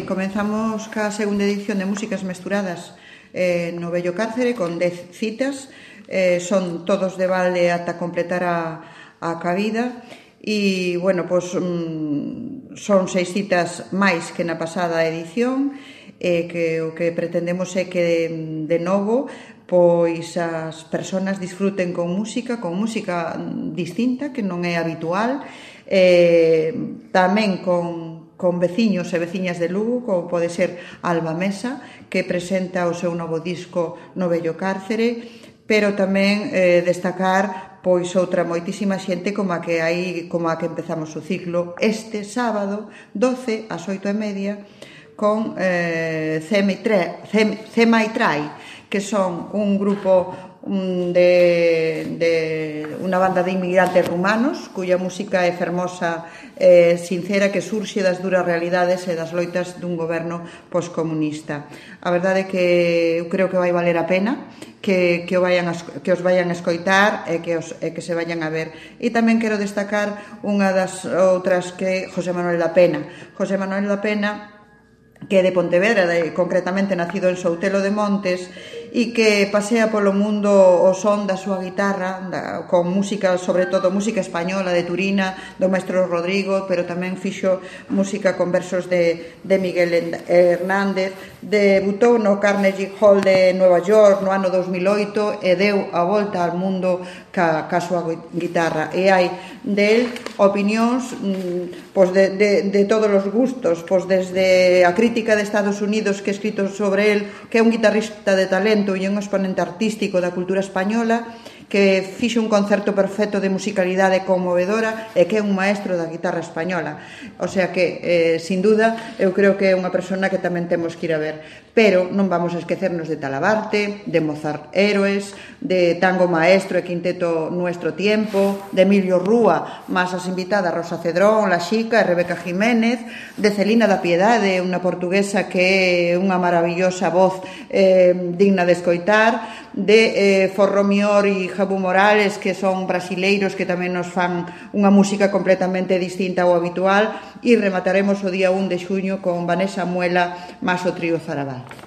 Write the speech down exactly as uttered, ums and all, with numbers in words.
comenzamos ca segunda edición de Músicas Mesturadas eh, no Vello Cárcere con dez citas, eh, son todos de balde ata completar a, a cabida e, bueno, pois mm, son seis citas máis que na pasada edición e que o que pretendemos é que de, de novo pois as persoas disfruten con música, con música distinta que non é habitual, eh, tamén con con veciños e veciñas de Lugo, como pode ser Alba Mesa, que presenta o seu novo disco no Vello Cárcere, pero tamén eh, destacar pois outra moitísima xente como a que hai, como a que empezamos o ciclo este sábado, doce ás oito e media, con eh, Cema e Trai, que son un grupo de, de unha banda de inmigrantes rumanos cuya música é fermosa e sincera, que surxe das duras realidades e das loitas dun goberno poscomunista. A verdade é que eu creo que vai valer a pena que, que, o vayan a, que os vayan a escoitar e que, os, e que se vayan a ver. E tamén quero destacar unha das outras, que é José Manuel da Pena. José Manuel da Pena, que é de Pontevedra, de, concretamente nacido en Soutelo de Montes, e que pasea polo mundo o son da súa guitarra, da, con música, sobre todo música española de Turina, do maestro Rodrigo, pero tamén fixo música con versos de, de Miguel Hernández. Debutou no Carnegie Hall de Nova York no ano dos mil oito e deu a volta ao mundo ca, ca súa guitarra. E hai del opinións pois de, de, de todos os gustos, pois desde a crítica de Estados Unidos, que é escrito sobre el, que é un guitarrista de talento e un exponente artístico da cultura española, que fixe un concerto perfecto de musicalidade conmovedora e que é un maestro da guitarra española. O sea que, eh, sin duda, eu creo que é unha persona que tamén temos que ir a ver. Pero non vamos a esquecernos de Talabarte, de Mozart Héroes, de Tango Maestro e Quinteto Nuestro Tiempo, de Emilio Rúa, más as invitadas Rosa Cedrón, La Xica e Rebeca Jiménez, de Celina da Piedade, unha portuguesa que é unha maravillosa voz eh, digna de escoitar, de eh, Forró Mior e Jabu Morales, que son brasileiros que tamén nos fan unha música completamente distinta ao habitual, e remataremos o día un de xuño con Vanessa Muela máis o trío Zarabal.